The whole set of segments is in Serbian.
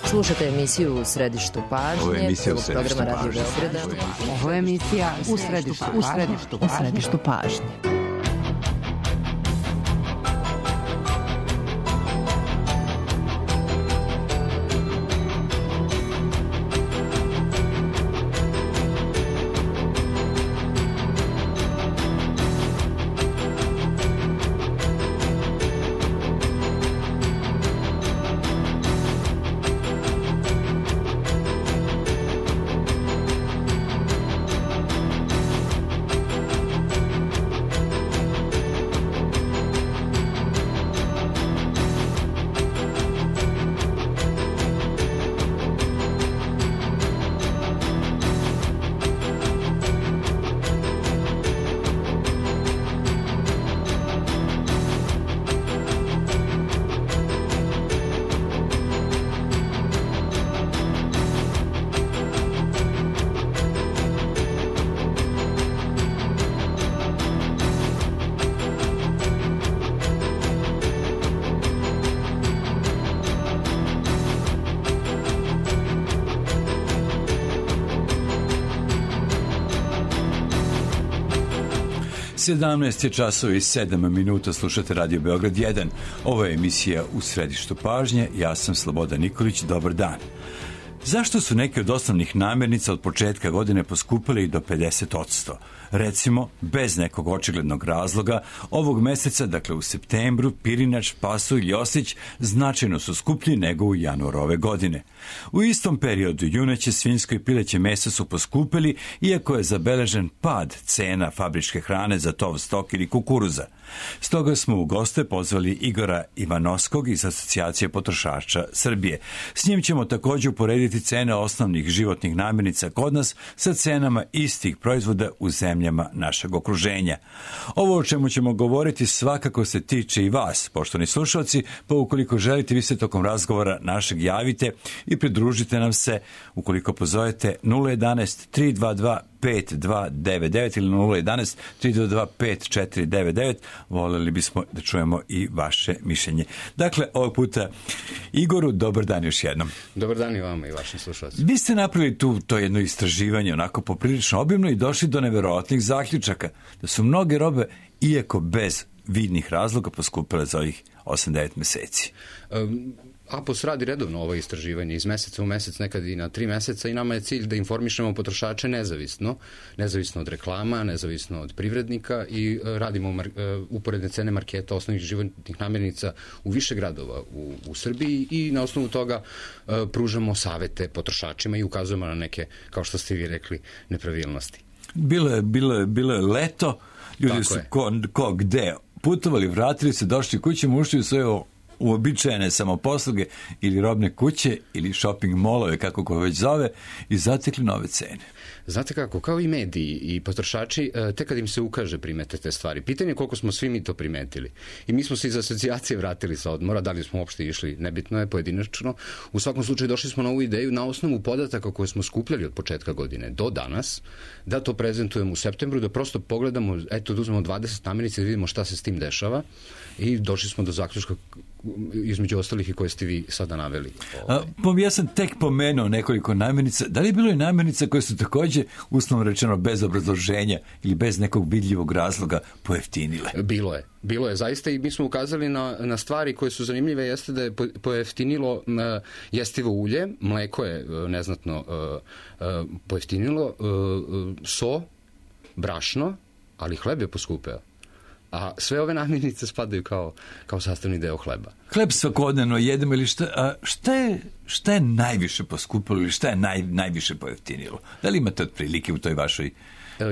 Slušate emisiju U središtu pažnje, prvog programa Radio Beograda. Ovo je emisija U središtu pažnje. Sedamnaest je časova i 7 minuta, slušate Radio Beograd 1. Ovo je emisija U središtu pažnje, ja sam Slobodan Nikolić, dobar dan. Zašto su neke od osnovnih namirnica od početka godine poskupile i do 50%? Recimo, bez nekog očiglednog razloga, ovog meseca, dakle u septembru, pirinač, pasulj i oslić značajno su skuplji nego u januaru ove godine. U istom periodu juneće, svinjsko i pileće meso su poskupili, iako je zabeležen pad cena fabričke hrane za tov stok ili kukuruza. Stoga smo u goste pozvali Igora Ivanovskog iz Asocijacije potrošača Srbije. S njim ćemo također uporediti cene osnovnih životnih namirnica kod nas sa cenama istih proizvoda u zemljama našeg okruženja. Ovo o čemu ćemo govoriti svakako se tiče i vas, poštovani slušalci, pa ukoliko želite vi se tokom razgovora našeg javite i pridružite nam se ukoliko pozovete 011 322 5299 ili 011 322 5499. Voljeli bismo da čujemo i vaše mišljenje. Dakle, ovog puta Igoru, dobar dan još jednom. Dobar dan i vama i vašim slušalcima. Vi ste napravili to jedno istraživanje onako poprilično obimno i došli do neverovatnih zaključaka da su mnoge robe, iako bez vidnih razloga, poskupile za ovih 8-9 meseci. APOS radi redovno ovo istraživanje iz meseca u mesec, nekad i na 3 meseca i nama je cilj da informišemo potrošače nezavisno od reklama, nezavisno od privrednika i radimo uporedne cene marketa osnovnih životnih namirnica u više gradova u Srbiji i na osnovu toga pružamo savete potrošačima i ukazujemo na neke, kao što ste vi rekli, nepravilnosti. Bilo je leto, ljudi tako su ko gde putovali, vratili se, došli kući, ušli u svoje uobičajene samoposluge ili robne kuće ili shopping molove, kako ko već zove, i zatekli nove cene. Znate kako, kao i mediji i potrošači, tek kad im se ukaže primete te stvari. Pitanje je koliko smo svi mi to primetili. I mi smo se iz asocijacije vratili sa odmora, da li smo uopšte išli, nebitno je, pojedinačno. U svakom slučaju došli smo na ovu ideju na osnovu podataka koje smo skupljali od početka godine do danas, da to prezentujemo u septembru, da prosto pogledamo, da uzmemo 20 namirnica i vidimo šta se s tim dešava i došli smo do zaključka između ostalih i koje ste vi sada naveli. Ja sam tek pomenuo nekoliko namirnica. Da li je bilo i namirnica koje su također, uslovno rečeno, bez obrazloženja ili bez nekog vidljivog razloga pojeftinile? Bilo je zaista i mi smo ukazali na stvari koje su zanimljive, jeste da je pojeftinilo jestivo ulje, mleko je neznatno pojeftinilo, so, brašno, ali hleb je poskupeo. A sve ove namirnice spadaju kao sastavni deo hleba. Hleb svakodnevno jedemo ili šta je najviše poskupilo ili šta je najviše pojeftinilo? Da li imate otprilike u toj vašoj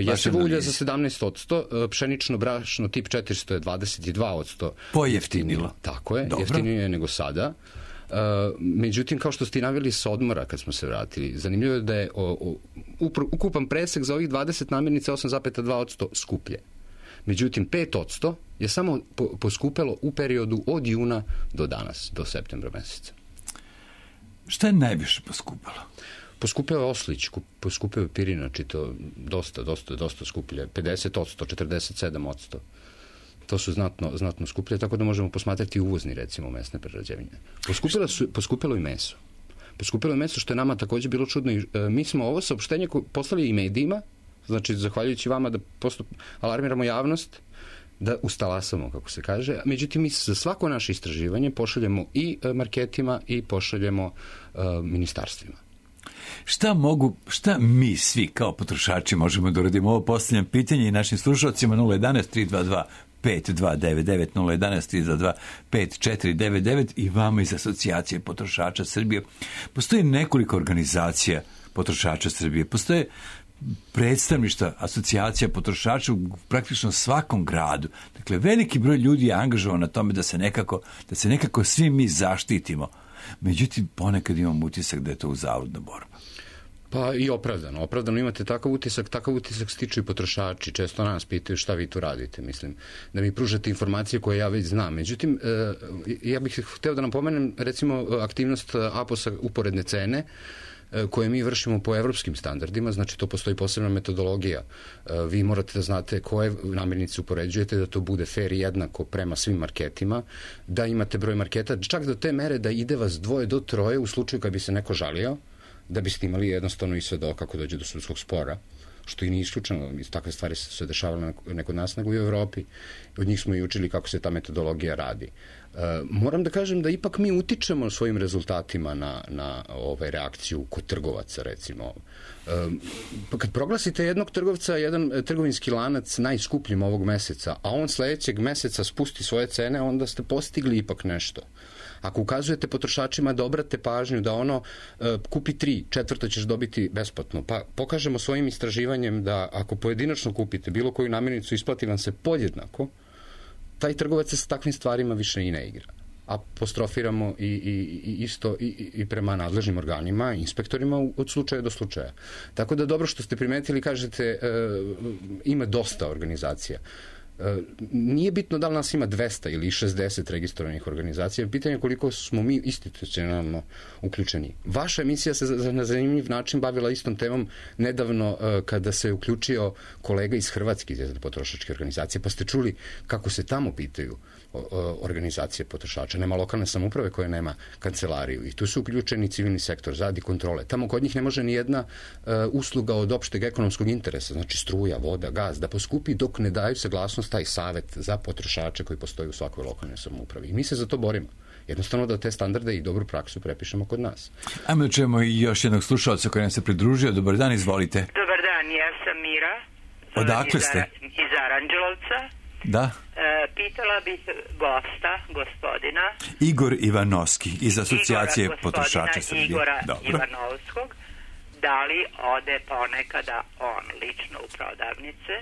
jestivo ulje za 17%, pšenično brašno tip 400 je 22%. Pojeftinilo. Tako je, jeftinije je nego sada. Međutim, kao što ste i naveli sa odmora kad smo se vratili, zanimljivo je da je ukupan presek za ovih 20 namirnica 8,2% skuplje. Međutim, 5% je samo poskupelo u periodu od juna do danas, do septembra meseca. Šta je najviše poskupelo? Poskupeo je oslić, poskupeo je pirinač i to dosta skuplje. 50%, 47%. To su znatno skuplje, tako da možemo posmatrati uvozni, recimo, mesne prerađevine. Poskupelo i meso. Poskupilo je meso, što je nama takođe bilo čudno. I mi smo ovo saopštenje poslali i medijima, znači zahvaljujući vama da alarmiramo javnost, da ustalasamo, kako se kaže. Međutim, mi za svako naše istraživanje pošaljemo i marketima i pošaljemo ministarstvima. Šta mi svi kao potrošači možemo da uradimo? Ovo postavljam pitanje i našim slušalcima 011-322-5299, 011-322-5499 i vama iz Asocijacije potrošača Srbije. Postoji nekoliko organizacija potrošača Srbije. Postoje predstavništva asocijacija potrošača u praktično svakom gradu. Dakle, veliki broj ljudi je angažovan na tome da se nekako svi mi zaštitimo. Međutim, ponekad imam utisak da je to uzaludna borba. Pa i opravdano imate takav utisak stiču i potrošači, često nas pitaju šta vi tu radite, mislim, da mi pružate informacije koje ja već znam. Međutim, ja bih hteo da napomenem, recimo, aktivnost APOS-a uporedne cene, koje mi vršimo po evropskim standardima, znači to postoji posebna metodologija. Vi morate da znate koje namirnice upoređujete, da to bude fair i jednako prema svim marketima, da imate broj marketa, čak do te mere da ide vas 2 do 3 u slučaju kad bi se neko žalio, da biste imali jednostavno i svedoka ako dođe do sudskog spora, što i nije isključeno. Takve stvari se dešavale ne kod nas, nego i u Evropi. Od njih smo i učili kako se ta metodologija radi. Moram da kažem da ipak mi utičemo svojim rezultatima na reakciju kod trgovaca, recimo. Kad proglasite jednog trgovca, jedan trgovinski lanac najskupljim ovog meseca, a on sledećeg meseca spusti svoje cene, onda ste postigli ipak nešto. Ako ukazujete potrošačima da obrate pažnju da ono kupi 3, 4 ćeš dobiti besplatno, pa pokažemo svojim istraživanjem da ako pojedinačno kupite bilo koju namirnicu, isplati vam se podjednako, taj trgovac se sa takvim stvarima više i ne igra. Apostrofiramo i prema nadležnim organima, inspektorima od slučaja do slučaja. Tako da dobro što ste primetili, kažete, ima dosta organizacija. Nije bitno da li nas ima 200 ili 60 registrovanih organizacija, pitanje je koliko smo mi institucionalno uključeni. Vaša emisija se na zanimljiv način bavila istom temom nedavno kada se uključio kolega iz Hrvatske iz jedne potrošačke organizacije, pa ste čuli kako se tamo pitaju organizacije potrošača. Nema lokalne samouprave koja nema kancelariju i tu su uključeni civilni sektor, radi kontrole. Tamo kod njih ne može ni jedna usluga od opšteg ekonomskog interesa, znači struja, voda, gaz, da poskupi dok ne daju saglasnost taj savet za potrošače koji postoji u svakoj lokalnoj samoupravi. I mi se za to borimo. Jednostavno da te standarde i dobru praksu prepišemo kod nas. Ajmo da čujemo i još jednog slušalca koji nam se pridružio. Dobar dan, izvolite. Dobar dan, ja sam Mira. Odakle ste? Iz Aranđelovca. Da. Pitala bih gosta, gospodina Igor Ivanovski iz Asocijacije potrošača Srbije. Igora Ivanovskog. Da li ode ponekada on lično u prodavnice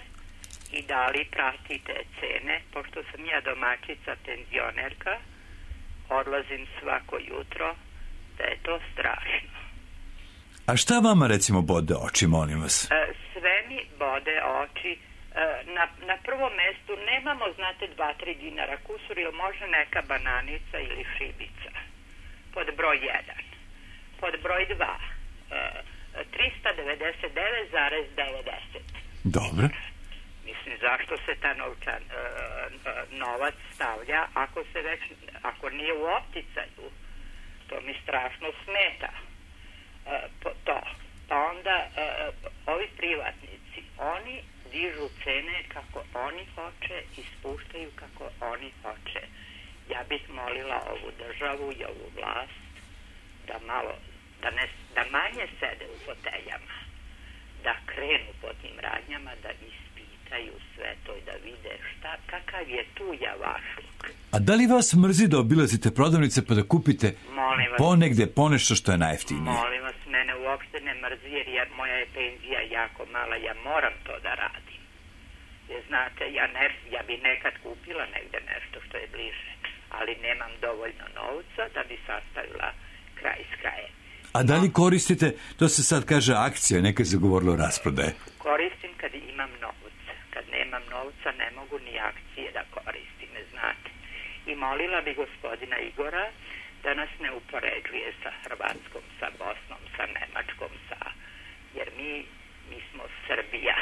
i da li prati te cene, pošto sam ja domaćica penzionerka, odlazim svako jutro, da je to strašno. A šta vama recimo bode oči, molim vas? Sve mi bode oči. Na prvom mestu nemamo, znate, 2-3 dinara kusur ili može neka bananica ili šibica. Pod broj 1. Pod broj 2. 399,90. Dobro. Mislim, zašto se ta novac stavlja ako nije u opticaju? To mi strašno smeta. Pa onda ovi privatnici, oni dižu cene kako oni hoće i spuštaju kako oni hoće. Ja bih molila ovu državu i ovu vlast da manje sede u foteljama, da krenu po tim radnjama, da ispitaju sve to i da vide kakav je tu javašluk. A da li vas mrzi da obilazite prodavnice pa da kupite ponegde ponešto što je najjeftinije? Molim vas, mene uopšte ne mrzi jer moja je penzija jako mala, ja moram to da radim. Jer znate, ja bi nekad kupila negde nešto što je bliže, ali nemam dovoljno novca da bi sastavila kraj s krajem. A da li koristite, to se sad kaže akcija, nekad se govorilo rasprodaje? Koristim kad imam novca. Kad nemam novca ne mogu ni akcije da koristim, znate. I molila bi gospodina Igora da nas ne upoređuje sa Hrvatskom, sa Bosnom, sa Nemačkom, jer mi smo Srbija.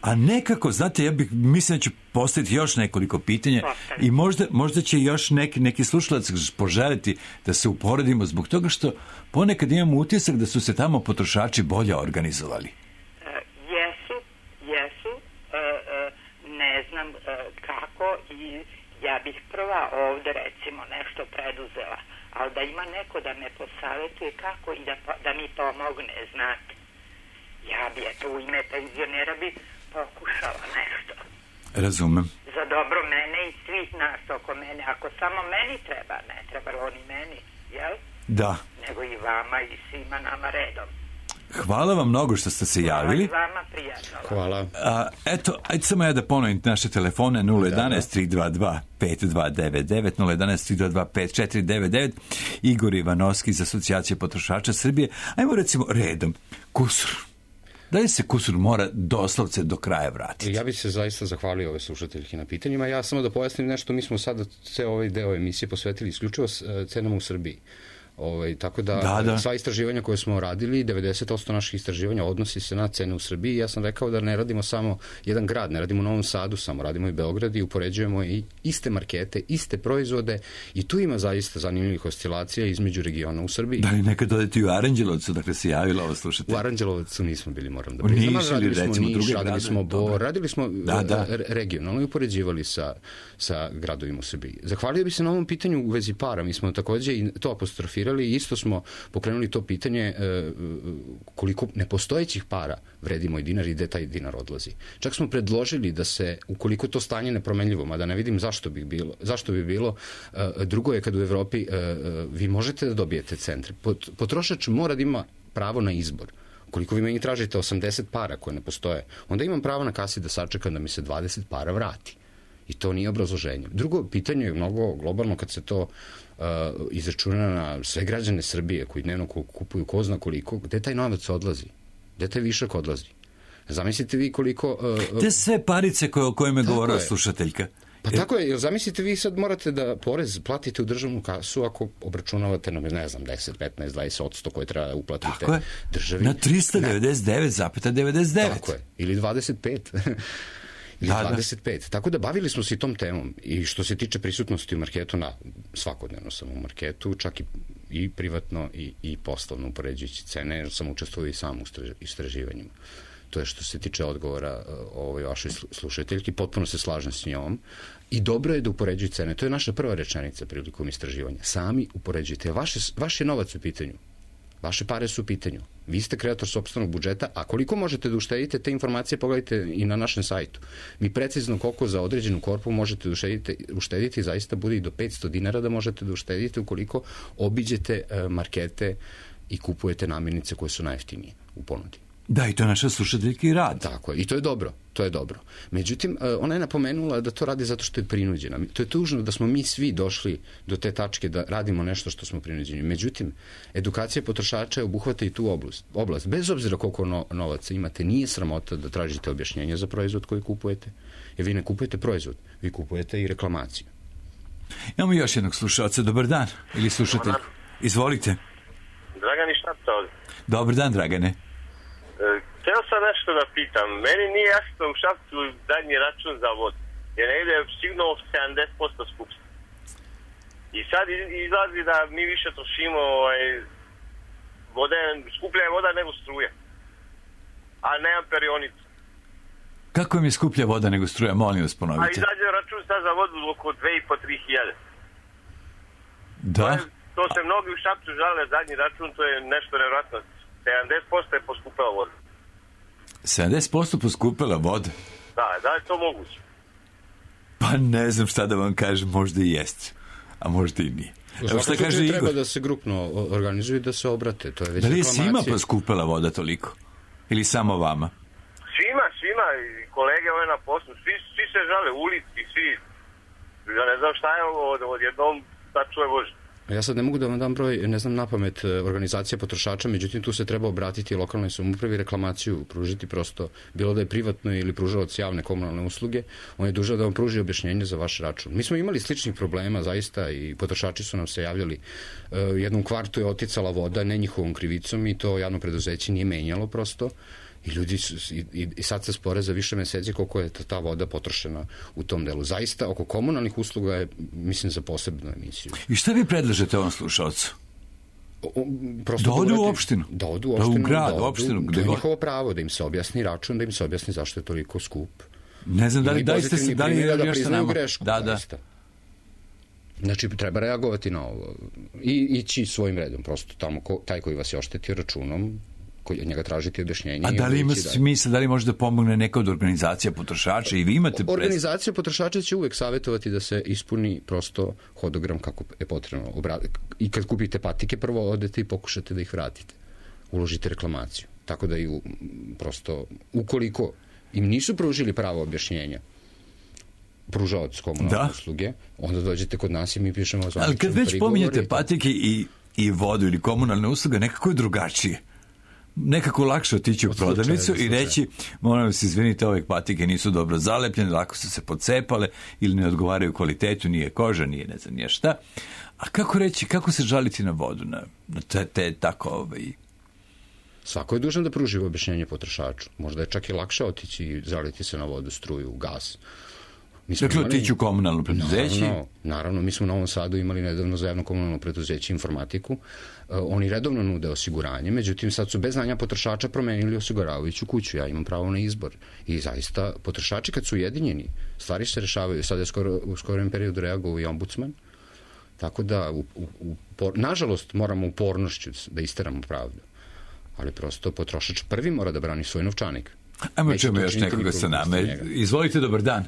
A nekako, znate, ja bih mislim da ću postaviti još nekoliko pitanja i možda će još neki slušalac poželiti da se uporedimo zbog toga što ponekad imamo utisak da su se tamo potrošači bolje organizovali. Jesu, ne znam kako i ja bih prva ovde recimo nešto preduzela, ali da ima neko da me posavjetuje kako i da mi pomogne, znate. Ja bi u ime penzionera bi pokušala nešto. Razumem. Za dobro mene i svih nas oko mene. Ako samo meni treba, ne treba oni meni, jel? Da. Nego i vama i svima nama redom. Hvala vam mnogo što ste se javili. Hvala i vama, prijatno. Hvala. Eto, ajde samo ja da ponovim naše telefone 011-322-5299, 011-322-5499, Igor Ivanovski iz Asocijacije potrošača Srbije. Ajmo recimo redom. Kusur. Da li se kusur mora doslovce do kraja vratiti? Ja bih se zaista zahvalio ove slušateljke na pitanjima. Ja samo da pojasnim nešto, mi smo sada ceo ovaj deo emisije posvetili isključivo cenama u Srbiji. Tako da, sva istraživanja koje smo radili, 90% naših istraživanja odnosi se na cene u Srbiji. Ja sam rekao da ne radimo samo jedan grad, ne radimo u Novom Sadu samo, radimo i Beograd i upoređujemo i iste markete, iste proizvode i tu ima zaista zanimljivih oscilacija između regiona u Srbiji. Da li nekad odete u Aranđelovcu, dakle se javila ovo slušati? U Aranđelovcu nismo bili, moram da priznam. Radili smo regionalno i upoređivali sa gradovima u Srbiji. Zahvalio bi se na ovom pitanju u vezi para. Mi smo takođe i to apostrofirali. Isto smo pokrenuli to pitanje koliko nepostojećih para vredi moj dinar i gde taj dinar odlazi. Čak smo predložili da se, ukoliko to stanje nepromenljivo, mada ne vidim zašto bi bilo, drugo je kad u Evropi vi možete da dobijete centre. Potrošač mora da ima pravo na izbor. Ukoliko vi meni tražite 80 para koje ne postoje, onda imam pravo na kasi da sačekam da mi se 20 para vrati. I to nije obrazloženje. Drugo pitanje je mnogo globalno kad se to izračuna na sve građane Srbije koji dnevno kupuju ko zna koliko, gde taj novac odlazi? Gde taj višak odlazi? Zamislite vi koliko... Te sve parice o kojima je govorila slušateljka. Pa tako je, zamislite vi sad morate da porez platite u državnu kasu ako obračunavate na, ne znam, 10, 15, 20% koje treba uplatite državi. Na 399,99. Tako je, ili 25. Ili 25. Tako da bavili smo se i tom temom. I što se tiče prisutnosti u marketu, svakodnevno sam u marketu, čak i privatno i poslovno upoređujući cene, jer sam učestvovao i sam u istraživanjima. To je što se tiče odgovora ovoj vašoj slušateljki, potpuno se slažem s njom. I dobro je da upoređuju cene. To je naša prva rečenica prilikom istraživanja. Sami upoređujte. Vaš je novac u pitanju. Vaše pare su u pitanju. Vi ste kreator sopstvenog budžeta, a koliko možete da uštedite, te informacije pogledajte i na našem sajtu. Mi precizno koliko za određenu korpu možete da uštediti, zaista bude i do 500 dinara da možete da uštedite ukoliko obiđete markete i kupujete namirnice koje su najjeftinije u ponudi. Da, i to je naša slušateljka i rad. Tako je, i to je dobro. Međutim, ona je napomenula da to radi zato što je prinuđena. To je tužno da smo mi svi došli do te tačke da radimo nešto što smo prinuđeni. Međutim, edukacija potrošača obuhvata i tu oblast. Bez obzira koliko novaca imate, nije sramota da tražite objašnjenje za proizvod koji kupujete. Jer vi ne kupujete proizvod, vi kupujete i reklamaciju. Imamo još jednog slušalca. Dobar dan. Ili slušatelj. Izvolite. Dragani Šapca ovdje. Dobar dan, Dragane. Htio sam nešto da pitam. Meni nije jasno u Šapcu zadnji račun za vodu. Jer negdje je sigurno 70% skuplji. I sad izlazi da mi više trošimo vode, skuplja je voda nego struja. A nemam perionicu. Kako im je skuplja voda nego struja? Molim vas, ponovite. A izađe račun sad za vodu oko 2.500-3.000. Da? To se mnogi u Šapcu žale zadnji račun, to je nešto nevjerojatno. 70% je poskupila voda. 70% poskupila voda? Da je to moguće. Pa ne znam šta da vam kažem, možda i jest, a možda i nije. Evo šta kaže Igor? Treba da se grupno organizuju i da se obrate. To je već da li je svima poskupila voda toliko? Ili samo vama? Svima, i kolege ove na poslu, svi se žale, ulici, svi. Ja ne znam šta je ovo, odjednom da čuje Bože. Ja sad ne mogu da vam dam broj, ne znam napamet, organizacija potrošača, međutim tu se treba obratiti lokalnoj samoupravi, reklamaciju pružiti prosto, bilo da je privatno ili pružalac javne komunalne usluge, on je dužan da vam pruži objašnjenje za vaš račun. Mi smo imali sličnih problema zaista i potrošači su nam se javljali. Jednom kvartu je oticala voda, ne njihovom krivicom i to javno preduzeće nije menjalo prosto. I ljudi i sad se spore za više meseci koliko je ta voda potrošena u tom delu. Zaista, oko komunalnih usluga je, mislim, za posebnu emisiju. I šta vi predlažete ovom slušalcu? Da odu u opštinu. Da odu u opštinu. Da u grad, u opštinu. To je njihovo pravo, da im se objasni račun, da im se objasni zašto je toliko skup. Ne znam, da li da priznaju grešku. Da. Znači, treba reagovati na ovo. I ići svojim redom. Prosto tamo taj koji vas je oštetio računom, koji od njega tražiti objašnjenje. A da li ima smisla, da li može da pomogne neka od organizacija potrošača i vi imate... Organizacija potrošača će uvek savjetovati da se ispuni prosto hodogram kako je potrebno. I kad kupite patike, prvo odete i pokušate da ih vratite. Uložite reklamaciju. Tako da i prosto, ukoliko im nisu pružili pravo objašnjenja, pružavac komunalne usluge, onda dođete kod nas i mi pišemo zvaničan prigovor. Ali kad već pominjete patike i vodu ili komunalne usluge, nekako je drugačije. Nekako lakše otići u prodavnicu i reći, moram se izvinite, ove patike nisu dobro zalepljene, lako su se pocepale ili ne odgovaraju kvalitetu, nije koža, nije ne znam nije šta. A kako reći, kako se žaliti na vodu, na te tako... Svako je dužan da pruži objašnjenje potrošaču. Možda je čak i lakše otići i žaliti se na vodu, struju, gas. Dakle, otići u komunalno preduzeće? Naravno, mi smo u Novom Sadu imali nedavno za javno komunalno preduzeće informatiku. Oni redovno nude osiguranje, međutim sad su bez znanja potrošača promenili osiguravajuću kuću. Ja imam pravo na izbor. I zaista, potrošači kad su ujedinjeni, stvari se rešavaju. Sad je u skorom periodu reagovao i ombudsman. Tako da, nažalost, moramo upornošću da isteramo pravdu. Ali prosto potrošač prvi mora da brani svoj novčanik. Ajmo čujemo još nekoga sa nama. Izvolite, dobar dan.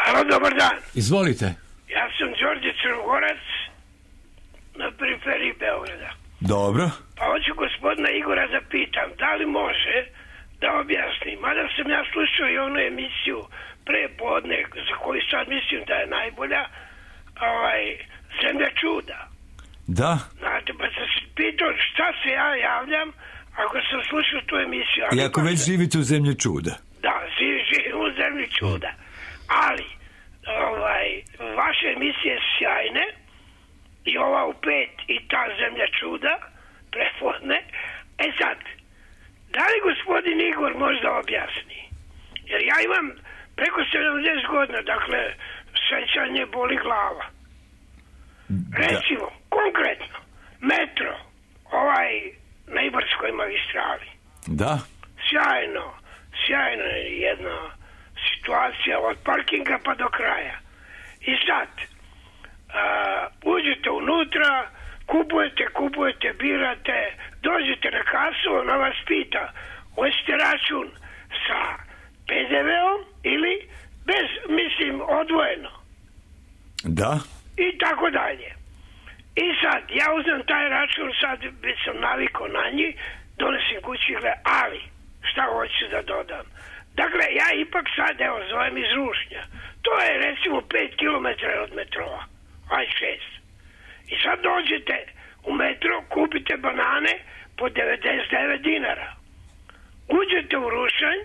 Halo, dobar dan. Izvolite. Ja sam Đorđe Crnogorac na periferiji Beograda. Dobro. Pa hoću gospodina Igora da pitam, da li može da objasni, mada sam ja slušao i onu emisiju pre podne, za koju sad mislim da je najbolja, Zemlja čuda. Da. Znate, pa sam se pitao šta se ja javljam ako sam slušao tu emisiju. I ako već živite u Zemlji čuda. Da, živim u Zemlji čuda. Ali, vaše emisije sjajne i ova u 5 i ta Zemlja čuda prepodne. E sad, da li gospodin Igor možda objasni? Jer ja imam preko 70 godina, dakle, sećanje boli glava. Recimo, konkretno, metro, na Ibarskoj magistrali. Da. Sjajno je jedna situacija od parkinga pa do kraja. I sad, uđete unutra, kupujete, birate, dođete na kasu, ona vas pita, hoćete račun sa PDV-om ili bez, mislim, odvojeno. Da. I tako dalje. I sad, ja uzmem taj račun, sad već sam navikao na njih, donesim kući, ali, šta hoću da dodam? Dakle, ja ipak sad, zovem iz Rušnja. To je, recimo, 5 km od metroa. 6. I sad dođete u metro, kupite banane po 99 dinara. Uđete u Rušanj,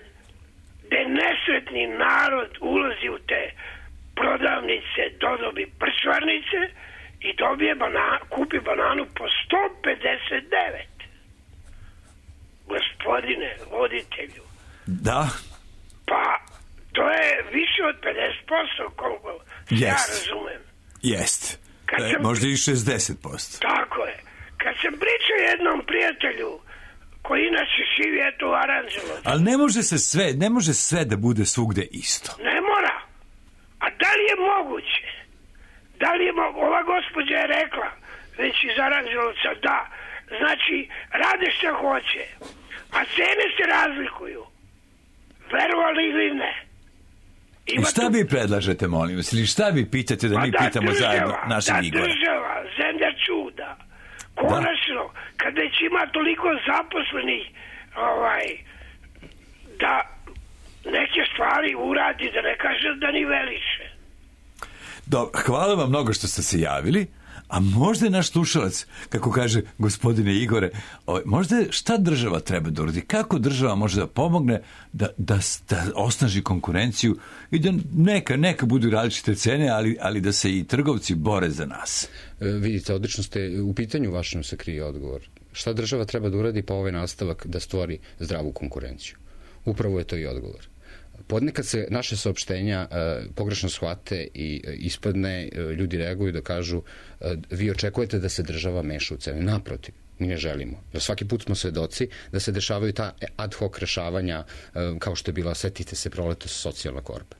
gde nesretni narod ulazi u te prodavnice, dodobi prčvarnice i kupi bananu po 159. Gospodine voditelju. Da. Pa, to je više od 50%, koliko ja razumem. Jest. Možda i 60%. Tako je. Kad sam pričao jednom prijatelju, koji inače živi eto u Aranđelovcu. Ali ne može sve da bude svugde isto. Ne mora. A da li je moguće? Ova gospođa je rekla, već iz Aranđelovca, da. Znači, rade šta hoće. A cene se razlikuju. Verovali ili ne? I šta vi predlažete, molim vas? Ili šta vi pitate da mi pitamo zajedno našeg Igora? Da država, Zemlja čuda, konačno, kad već ima toliko zaposlenih, da neke stvari uradi, da ne kaže da ni veliše. Dobro, hvala vam mnogo što ste se javili. A možda je naš slušalac, kako kaže gospodine Igore, možda šta država treba da uradi? Kako država može da pomogne da osnaži konkurenciju i da neka budu različite cene, ali da se i trgovci bore za nas? Vidite, odlično ste, u pitanju vašem se krije odgovor. Šta država treba da uradi, pa ovaj nastavak da stvori zdravu konkurenciju. Upravo je to i odgovor. Podnekad se naše saopštenja pogrešno shvate i ispadne, ljudi reaguju da kažu vi očekujete da se država meša u cene. Naprotiv, mi ne želimo. Jer svaki put smo svedoci da se dešavaju ta ad hoc rešavanja kao što je bila, setite se, proletos socijalna korpa.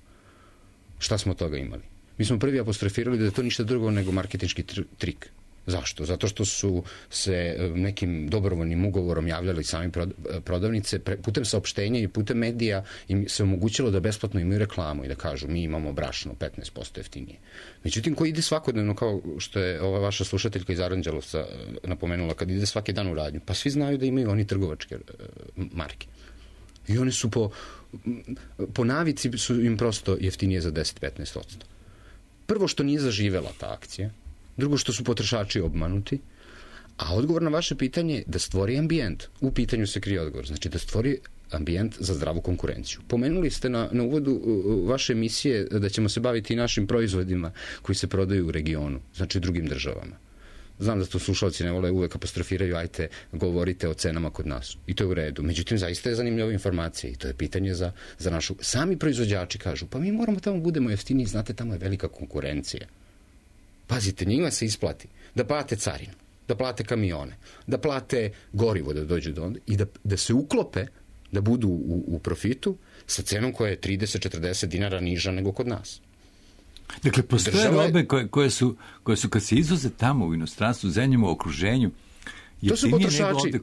Šta smo od toga imali? Mi smo prvi apostrofirali da je to ništa drugo nego marketinški trik. Zašto? Zato što su se nekim dobrovoljnim ugovorom javljali sami prodavnice, putem saopštenja i putem medija im se omogućilo da besplatno imaju reklamu i da kažu mi imamo brašno 15% jeftinije. Međutim, ko ide svakodnevno, kao što je ova vaša slušateljka iz Aranđelovca napomenula, kad ide svaki dan u radnju, pa svi znaju da imaju oni trgovačke marke. I one su po navici su im prosto jeftinije za 10-15%. Prvo što nije zaživela ta akcija, drugo što su potrošači obmanuti, a odgovor na vaše pitanje je da stvori ambijent. U pitanju se krije odgovor. Znači da stvori ambijent za zdravu konkurenciju. Pomenuli ste na uvodu vaše emisije da ćemo se baviti i našim proizvodima koji se prodaju u regionu, znači drugim državama. Znam da to slušalci ne vole, uvek apostrofiraju, ajte, govorite o cenama kod nas. I to je u redu. Međutim, zaista je zanimljiva informacija i to je pitanje za našu... Sami proizvođači kažu, pa mi moramo tamo budemo jeftiniji, znate, tamo je velika konkurencija. Pazite, njima se isplati da plate carinu, da plate kamione, da plate gorivo da dođu do onda i da se uklope, da budu u profitu sa cenom koja je 30-40 dinara niža nego kod nas. Dakle, postoje robe koje su kad se izvoze tamo u inostranstvu, zemljama u okruženju,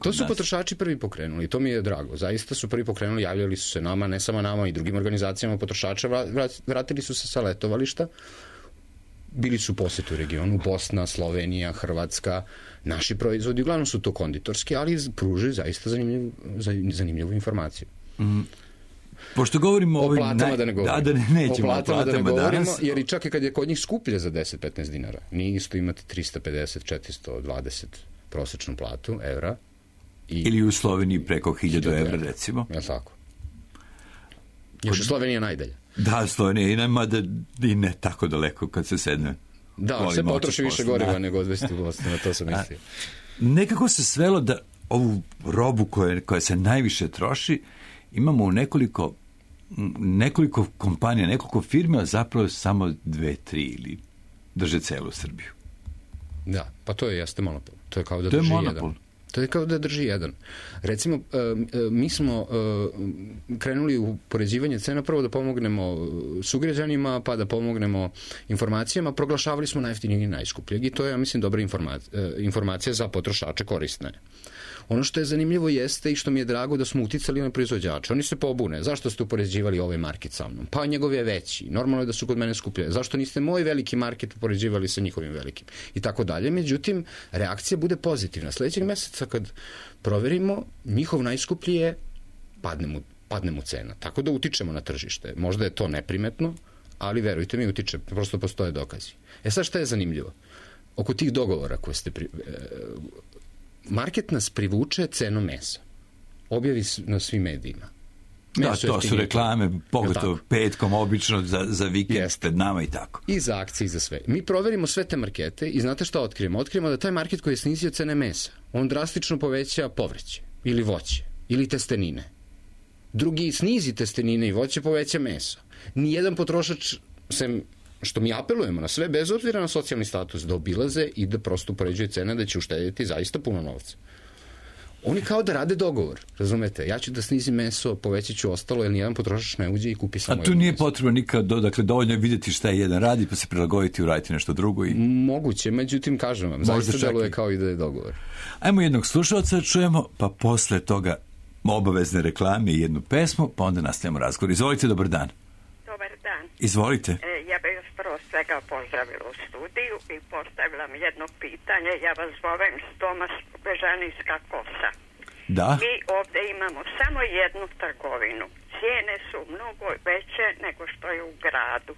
To su potrošači prvi pokrenuli i to mi je drago. Zaista su prvi pokrenuli, javljali su se nama, ne samo nama i drugim organizacijama potrošača, vratili su se sa letovališta, bili su u posetu u regionu, Bosna, Slovenija, Hrvatska, naši proizvodi, uglavnom su to konditorski, ali pružaju zaista zanimljivu informaciju. Pošto govorimo o platama da ne govorimo. Nećemo o platama da ne govorimo, danas. Jer i čak i kad je kod njih skuplje za 10-15 dinara, nije isto imati 350-420 prosečnu platu evra. Ili u Sloveniji preko 1000 evra, recimo. Ja tako. Još Slovenija najdalje. Da, Slovenija ima da i ne tako daleko kad se sedne. Da, se potroši više goriva nego odvesti u Bosnu, na to sam mislio. Nekako se svelo da ovu robu koja se najviše troši imamo u nekoliko kompanija, nekoliko firme, a zapravo samo 2-3 ili drže celu Srbiju. Da, pa to jeste monopol. To je kao da drži jedan. To je kao da drži jedan. Recimo, mi smo krenuli u poređivanje cena, prvo da pomognemo sugrađanima, pa da pomognemo informacijama, proglašavali smo najjeftinijeg i najskupljeg i to je, ja mislim, dobra informacija za potrošače, korisna je. Ono što je zanimljivo jeste i što mi je drago da smo uticali na proizvođače. Oni se pobune. Zašto ste upoređivali ovaj market sa mnom? Pa njegov je veći. Normalno je da su kod mene skuplje. Zašto niste moj veliki market upoređivali sa njihovim velikim? I tako dalje. Međutim, reakcija bude pozitivna. Sljedećeg meseca kad proverimo, njihov najskuplji je padne mu cena. Tako da utičemo na tržište. Možda je to neprimetno, ali verujte mi, utiče. Prosto postoje dokazi. Sad šta je zanimljivo? Oko tih dogovora koje ste market nas privuče cenom mesa. Objavi na svim medijima. Da, to su reklame, pogotovo petkom, obično za vikend pred nama i tako. I za akcije i za sve. Mi proverimo sve te markete i znate šta otkrijemo? Otkrijemo da taj market koji je snizio cene mesa, on drastično poveća povrće ili voće ili testenine. Drugi snizi testenine i voće, poveća meso. Nijedan potrošač, sem što mi apelujemo na sve, bez obzira na socijalni status, da obilaze i da prosto upoređuju cene, da će uštediti zaista puno novca. Oni kao da rade dogovor, razumete? Ja ću da snizim meso, povećat ću ostalo, jer nijedan potrošač ne uđe i kupi samo jedno meso. A tu nije potrebno nikad, dakle, dovoljno je vidjeti šta je jedan radi, pa se prilagoditi i uraditi nešto drugo. Moguće, međutim, kažem vam, zaista deluje kao i da je dogovor. Ajmo jednog slušalca čujemo, pa posle toga obavezne reklame i jednu pesmu, pa onda nastavljamo razgovor. Izvolite, dobar dan. Dobar dan. Izvolite. Ja bih vas prvo svega pozdravila u studiju i postavila mi jedno pitanje. Ja vas zovem Tomas Bežanijska Kosa. Da. Mi ovdje imamo samo jednu trgovinu. Cijene su mnogo veće nego što je u gradu.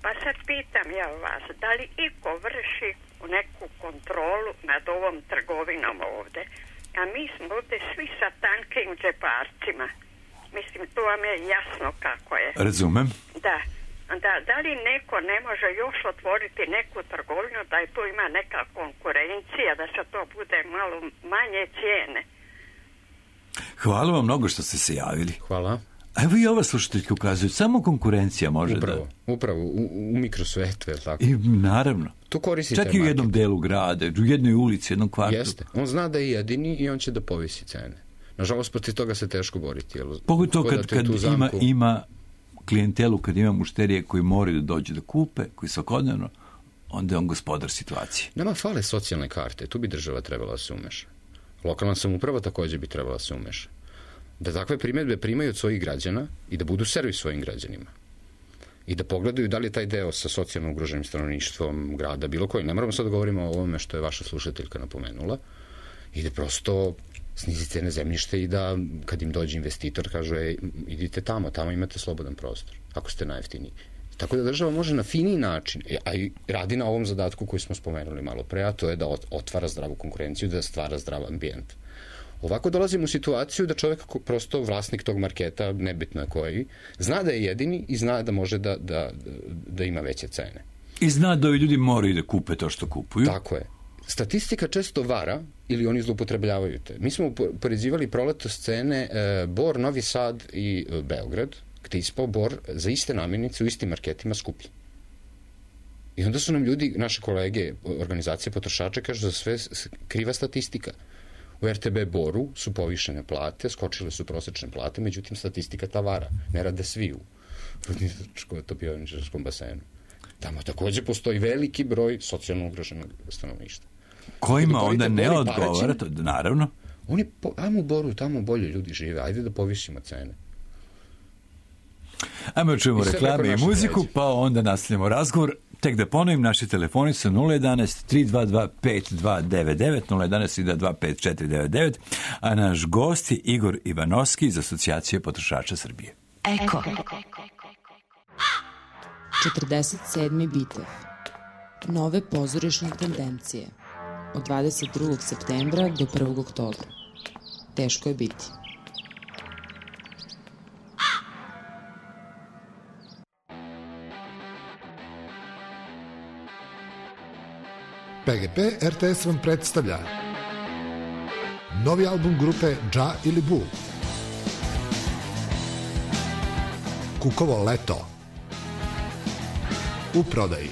Pa sad pitam ja vas, da li iko vrši neku kontrolu nad ovom trgovinom ovdje? A mi smo ovdje svi sa tankim džeparcima. Mislim, to vam je jasno kako je. Razumem. Da li neko ne može još otvoriti neku trgovinu da je tu ima neka subvencija, da se to bude malo manje cijene. Hvala vam mnogo što ste se javili. Hvala. A evo i ova slušateljka ukazuje, samo konkurencija može Upravo, u mikrosvetu, je li tako? I naravno. To koristi čak i u jednom delu grada, u jednoj ulici, jednom kvartu. Jeste. On zna da je jedini i on će da povisi cene. Nažalost, protiv toga se teško boriti. Pogotovo kad ima klijentelu, kad ima mušterije koji moraju da dođu da kupe, koji svakodnevno, onda je on gospodar situacije. Nama fale socijalne karte, tu bi država trebala da se umeša. Lokalna samouprava također bi trebala da se umeša. Da takve primjedbe primaju od svojih građana i da budu servis svojim građanima. I da pogledaju da li je taj deo sa socijalno ugroženim stanovništvom grada, bilo koji. Ne moramo sad da govorimo o ovome što je vaša slušateljka napomenula. I da prosto snizi cene zemljište i da kad im dođe investitor kažu idite tamo imate slobodan prostor, ako ste najjeftiniji. Tako da država može na finiji način, a i radi na ovom zadatku koji smo spomenuli malo pre, a to je da otvara zdravu konkurenciju, da stvara zdrav ambijent. Ovako dolazimo u situaciju da čovjek, prosto vlasnik tog marketa, nebitno je koji, zna da je jedini i zna da može da ima veće cene. I zna da ovi ljudi moraju da kupe to što kupuju. Tako je. Statistika često vara ili oni zloupotrebljavaju te. Mi smo upoređivali proletos cene Bor, Novi Sad i Beograd, gde je ispao Bor za iste namirnice u istim marketima skuplji. I onda su nam ljudi, naše kolege, organizacije potrošača, kažu da sve kriva statistika. U RTB Boru su povišene plate, skočile su prosečne plate, međutim statistika ta vara. Ne rade svi u Rudničko-topioničarskom basenu. Tamo također postoji veliki broj socijalno ugroženog stanovništva. Kojima onda ne odgovara, naravno. Ajmo u Boru, tamo bolje ljudi žive, ajde da povišimo cene. Ajmo čujemo reklame i muziku, pa onda nastavljamo razgovor. Tek da ponovim, naši telefoni su 011-322-5299, 011-322-5499, a naš gost je Igor Ivanovski iz Asocijacije potrošača Srbije. Eko. 47. bitev. Nove pozorišne tendencije. Od 22. septembra do 1. oktobra. Teško je biti. PGP RTS vam predstavlja novi album grupe Dža ili Bu. Kukovo leto. U prodaji.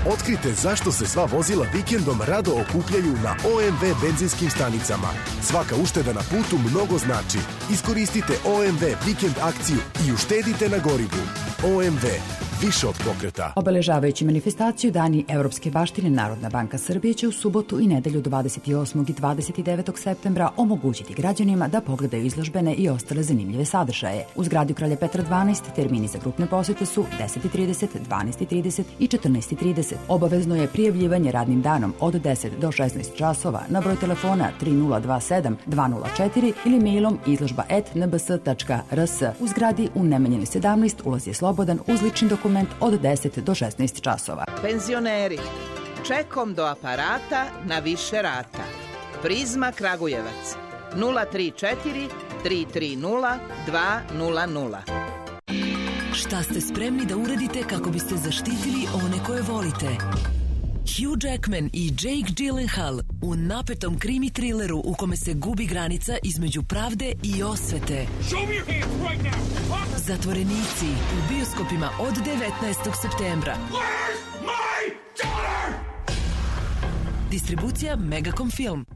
Otkrite zašto se sva vozila vikendom rado okupljaju na OMV benzinskim stanicama. Svaka ušteda na putu mnogo znači. Iskoristite OMV vikend akciju i uštedite na gorivu. OMV. Više od pokreta. Obeležavajući manifestaciju Dani Evropske baštine, Narodna banka Srbije će u subotu i nedelju 28. i 29. septembra omogućiti građanima da pogledaju izložbene i ostale zanimljive sadržaje. U zgradi Kralja Petra 12 termini za grupne posete su 10:30, 12:30 i 14:30. Obavezno je prijavljivanje radnim danom od 10 do 16 časova na broj telefona 3027 204 ili mailom izložba@nbs.rs. U zgradi u Nemanjinoj 17 ulaz je slobodan uz lični dokument od 10 do 16 časova. Penzioneri, čekom do aparata na više rata. Prizma Kragujevac 034 330 200. Šta ste spremni da uradite kako biste zaštitili one koje volite? Hugh Jackman i Jake Gyllenhaal u napetom krimi trileru u kome se gubi granica između pravde i osvete. Zatvorenici u bioskopima od 19. septembra. Distribucija Megacom Film.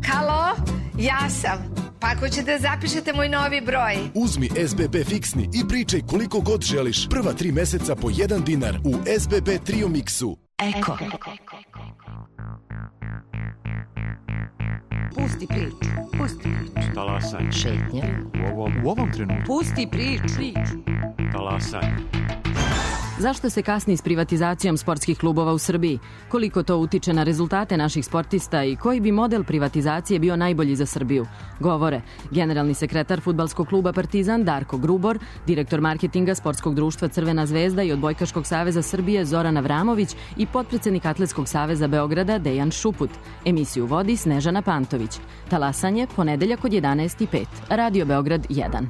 Halo, ja sam. Pa ako ćete zapišete moj novi broj. Uzmi SBB fiksni i pričaj koliko god želiš. Prva 3 meseca po 1 dinar u SBB Trio Mixu. Eko. Pusti priču. Talasaj. Šetnja. U ovom trenutku. Pusti priču. Talasaj. Zašto se kasni s privatizacijom sportskih klubova u Srbiji? Koliko to utiče na rezultate naših sportista i koji bi model privatizacije bio najbolji za Srbiju? Govore generalni sekretar fudbalskog kluba Partizan Darko Grubor, direktor marketinga sportskog društva Crvena zvezda i Odbojkaškog saveza Srbije Zoran Avramović i potpredsednik Atletskog saveza Beograda Dejan Šuput. Emisiju vodi Snežana Pantović. Talasanje ponedeljak od 11:05. Radio Beograd 1.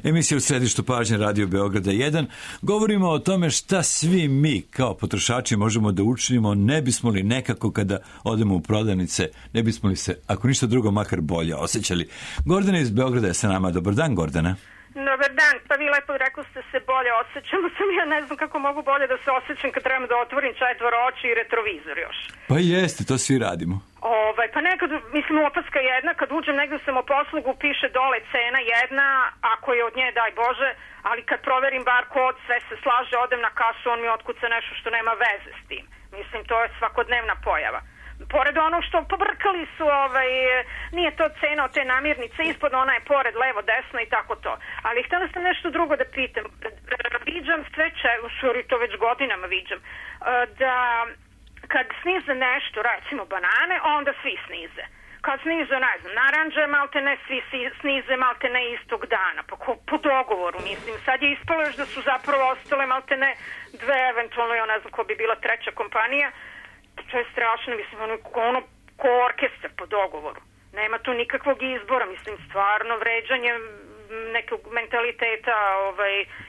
Emisija u središtu pažnje Radio Beograda 1. Govorimo o tome šta svi mi kao potrošači možemo da učinimo, ne bismo li nekako kada odemo u prodavnice, ne bismo li se, ako ništa drugo, makar bolje osjećali. Gordana iz Beograda je sa nama. Dobar dan, Gordana. Dobar dan, pa vi lepo rekli ste se bolje osjećamo, sam ja ne znam kako mogu bolje da se osjećam kad trebam da otvorim četvoro oči i retrovizor još. Pa jeste, to svi radimo. Pa nekad, mislim, opaska jedna, kad uđem negdje sam u poslugu, piše dole cena jedna, ako je od nje, daj Bože, ali kad proverim bar kod, sve se slaže, odem na kasu, on mi otkuca nešto što nema veze s tim. Mislim, to je svakodnevna pojava. Pored onog što pobrkali su, nije to cena od te namirnice, ispod ona je pored, levo, desno i tako to. Ali htjela sam nešto drugo da pitam. Viđam sve to već godinama viđam, da kad snize nešto, recimo banane, onda svi snize. Kad snize, ne znam, naranđe, malte ne svi snize, malte ne istog dana. Pa po dogovoru, mislim. Sad je ispalo još da su zapravo ostale malte ne dve, eventualno, ja ne znam ko bi bila treća kompanija. To je strašno, mislim, ono ko orkestar po dogovoru. Nema tu nikakvog izbora, mislim, stvarno vređanje nekog mentaliteta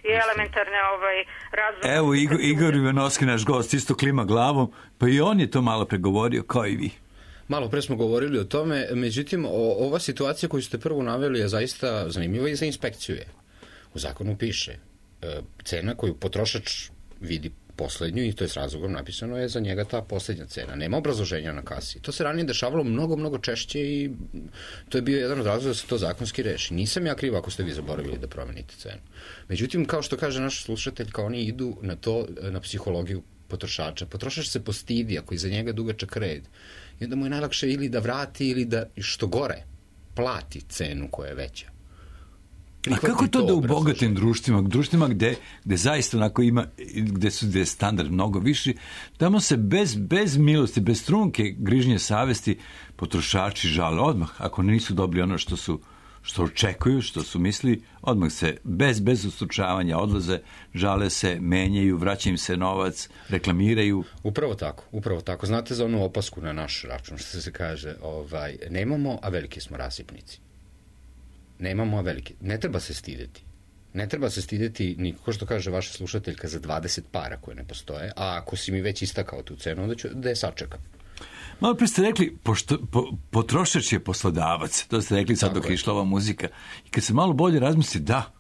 i elementarne razvoja. Evo, Igor Ivanovski, naš gost, isto klima glavom, pa i on je to malo pregovorio, kao i vi. Malo pre smo govorili o tome, međutim, ova situacija koju ste prvo naveli je zaista zanimljiva i za inspekciju je. U zakonu piše cena koju potrošač vidi poslednju i to je s razlogom napisano je za njega ta poslednja cena. Nema obrazloženja na kasi. To se ranije dešavalo mnogo češće i to je bio jedan od razloga da se to zakonski reši. Nisam ja kriv ako ste vi zaboravili da promenite cenu. Međutim, kao što kaže naš slušatelj, kao oni idu na to, na psihologiju potrošača. Potrošač se postidi ako iza njega dugačak red. I onda mu je najlakše ili da vrati ili da, što gore, plati cenu koja je veća. A kako to da u bogatim društvima gde zaista onako ima, gde je standard mnogo viši, tamo se bez milosti, bez trunke grižnje savesti potrošači žale odmah, ako nisu dobili ono što očekuju, što su misli, odmah se bez ustručavanja odlaze, žale se, menjaju, vraća im se novac, reklamiraju. Upravo tako. Znate za onu opasku na naš račun, što se kaže, nemamo, a veliki smo rasipnici. Nemamo, a veliki. Ne treba se stideti. Ne treba se stideti, ni ko što kaže vaša slušateljka, za 20 para koje ne postoje, a ako si mi već istakao tu cenu, onda ću da je sačekam. Malo pre ste rekli, potrošač je poslodavac, to ste rekli sad dok je išla ova muzika. I kad se malo bolje razmisli, da,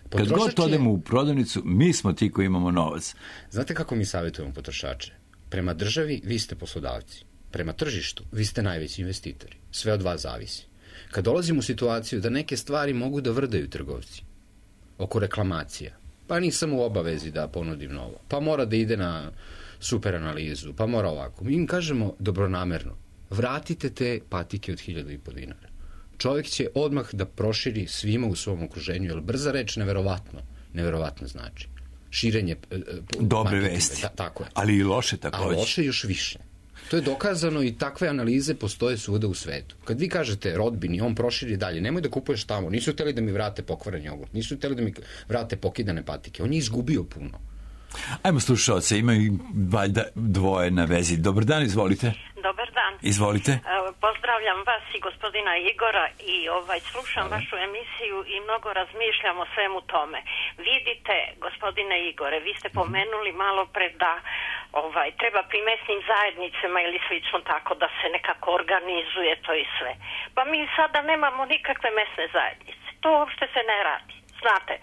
kad god odemo u prodavnicu, mi smo ti koji imamo novac. Znate kako mi savjetujemo potrošače? Prema državi vi ste poslodavci. Prema tržištu vi ste najveći investitori. Sve od vas zavisi. Kad dolazimo u situaciju da neke stvari mogu da vrdaju trgovci, oko reklamacija, pa nisam u obavezi da ponudim novo, pa mora da ide na super analizu, pa mora ovako. Mi im kažemo dobronamerno, vratite te patike od 1.500 dinara. Čovjek će odmah da proširi svima u svom okruženju, jer brza reč neverovatno znači. Širenje dobre vesti, tako je. Ali i loše takođe. A loše još više. To je dokazano i takve analize postoje svuda u svetu. Kad vi kažete rodbini, on proširi dalje, nemoj da kupuješ tamo, nisu hteli da mi vrate pokvaren jogurt, nisu hteli da mi vrate pokidane patike, on je izgubio puno. Ajmo slušalce, imaju valjda dvoje na vezi. Dobar dan, izvolite. Dobar dan. Izvolite. Pozdravljam vas i gospodina Igora i slušam vašu emisiju i mnogo razmišljam o svemu tome. Vidite, gospodine Igore, vi ste pomenuli malo pre da treba pri mesnim zajednicama ili slično tako da se nekako organizuje to i sve. Pa mi sada nemamo nikakve mesne zajednice. To uopšte se ne radi. Znate,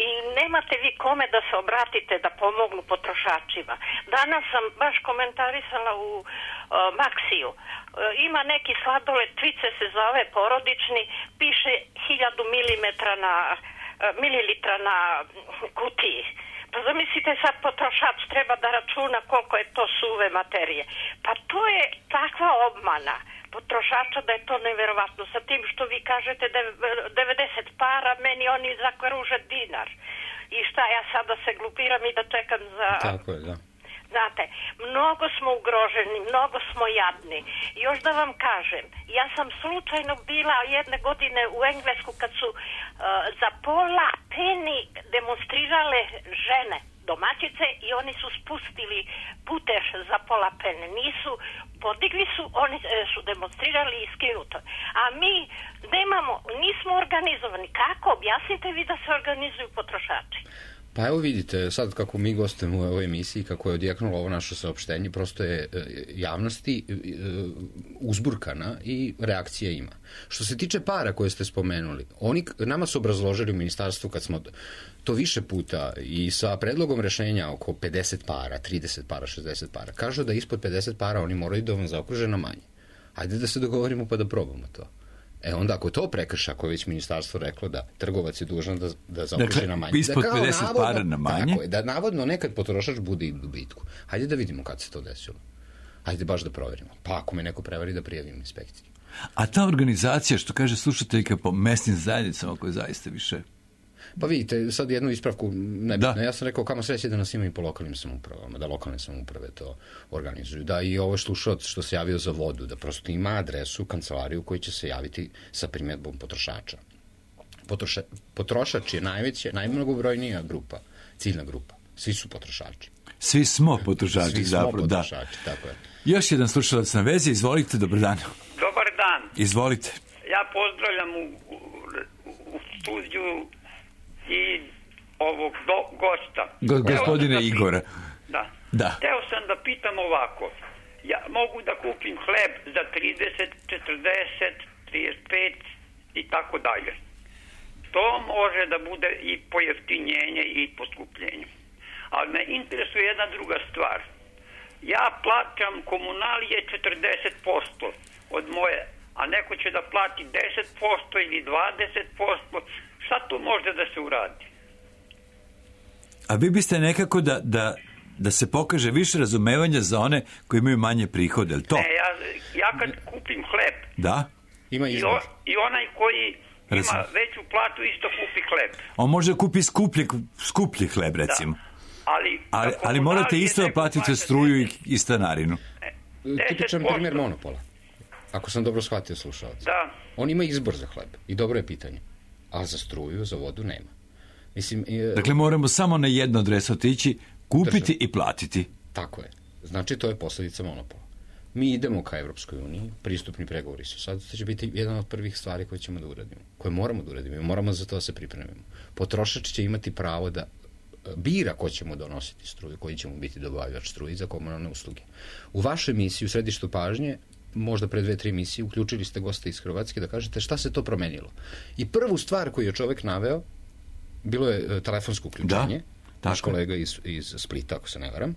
i nemate vi kome da se obratite da pomognu potrošačima. Danas sam baš komentarisala u Maksiju. Ima neki sladoled, Tvice se zove, porodični, piše 1000 mililitra na kutiji. Pa zamislite sad potrošač treba da računa koliko je to suve materije. Pa to je takva obmana potrošača da je to neverovatno. Sa tim što vi kažete 90 para, meni oni zakvaruže dinar. I šta, ja sada se glupiram i da čekam za... Tako je, da. Znate, mnogo smo ugroženi, mnogo smo jadni. Još da vam kažem, ja sam slučajno bila jedne godine u Englesku kad su za pola peni demonstrirale žene, domaćice, i oni su spustili putež za pola pene. Podigli su, oni su demonstrirali i skinuto. A mi nismo organizovani. Kako? Objasnite vi da se organizuju potrošači. Pa evo vidite, sad kako mi gostujemo u ovoj emisiji, kako je odjeknulo ovo naše saopštenje, prosto je javnosti uzburkana i reakcija ima. Što se tiče para koje ste spomenuli, nama su obrazložili u ministarstvu kad smo to više puta i sa predlogom rešenja oko 50 para, 30 para, 60 para, kažu da ispod 50 para oni moraju da vam zaokruže na manje. Hajde da se dogovorimo pa da probamo to. Onda ako to prekrša, ako je već ministarstvo reklo da trgovac je dužan da zaokruži na manje. Dakle, ispod 50 para na manje? Tako je, da navodno nekad potrošač bude i u dobitku. Hajde da vidimo kad se to desilo. Hajde baš da proverimo. Pa ako me neko prevari da prijavim inspekciji. A ta organizacija, što kaže slušateljka, po mesnim zajednicama koje zaista više... Pa vidite, sad jednu ispravku nebitno. Ja sam rekao kamo sreće da nas ima i po lokalnim samoupravama, da lokalne samouprave to organizuju. Da i ovo slušalac što se javio za vodu, da prosto ima adresu, kancelariju koji će se javiti sa primjedbom potrošača. Potrošač je najmnogobrojnija grupa, ciljna grupa. Svi su potrošači. Svi smo potrošači, zapravo, da. Tako je. Još jedan slušalac na vezi, izvolite, dobar dan. Dobar dan. Izvolite. Ja pozdravljam u studiju i ovog gosta. Gospodine Igora. Da. Hteo sam da pitam ovako. Ja mogu da kupim hleb za 30, 40, 35 i tako dalje. To može da bude i pojeftinjenje i poskupljenje. Ali me interesuje jedna druga stvar. Ja plaćam komunalije 40% od moje, a neko će da plati 10% ili 20%. Šta tu može da se uradi? A vi biste nekako da se pokaže više razumevanja za one koji imaju manje prihode, je li to? Ne, ja kad kupim hleb, da? Ima izbor. I onaj koji ima veću platu isto kupi hleb. On može da kupi skuplji hleb, recimo. Da. Ali morate isto da platite struju i stanarinu. Tipičan primjer monopola. Ako sam dobro shvatio slušalca. Da. On ima izbor za hleb. I dobro je pitanje. A za struju, za vodu nema. Mislim, dakle, moramo samo na jedno adresu otići, kupiti i platiti. Tako je. Znači, to je posljedica monopola. Mi idemo ka Evropskoj uniji, pristupni pregovori su sad, to će biti jedna od prvih stvari koje ćemo da uradimo, koje moramo da uradimo i moramo za to da se pripremimo. Potrošač će imati pravo da bira ko ćemo donositi struju, koji ćemo biti dobavljač struje za komunalne usluge. U vašoj emisiji, u središtu pažnje, možda pre 2-3 emisije, uključili ste gosta iz Hrvatske da kažete šta se to promenilo. I prvu stvar koju je čovek naveo, bilo je telefonsko uključenje, naš kolega iz Splita, ako se ne varam,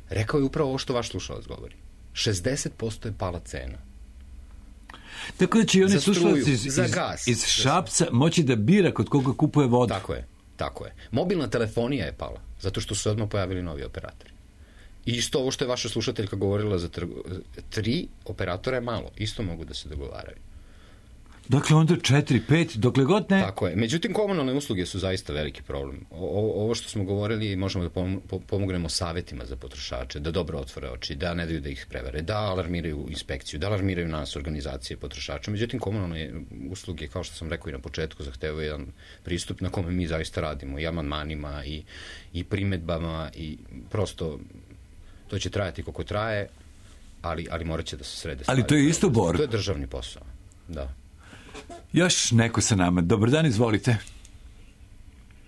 rekao je upravo ovo što vaš slušalac govori. 60% je pala cena. Tako da će i oni slušalci iz Šapca moći da bira kod koga kupuje vodu. Tako je. Mobilna telefonija je pala, zato što su se odmah pojavili novi operatori. I isto ovo što je vaša slušateljka govorila za 3 operatora je malo, isto mogu da se dogovaraju. Dakle, onda 4, 5, dokle god ne... Tako je. Međutim, komunalne usluge su zaista veliki problem. Ovo što smo govorili, možemo da pomognemo savjetima za potrošače, da dobro otvore oči, da ne daju da ih prevare, da alarmiraju inspekciju, da alarmiraju nas, organizacije potrošača. Međutim, komunalne usluge, kao što sam rekao i na početku, zahtevaju jedan pristup na kome mi zaista radimo, i amandmanima, i primedbama, i prosto to će trajati koliko traje, ali morat će da se srede stvari. Ali to je isto borba. To je državni posao, da. Još neko sa nama. Dobar dan, izvolite.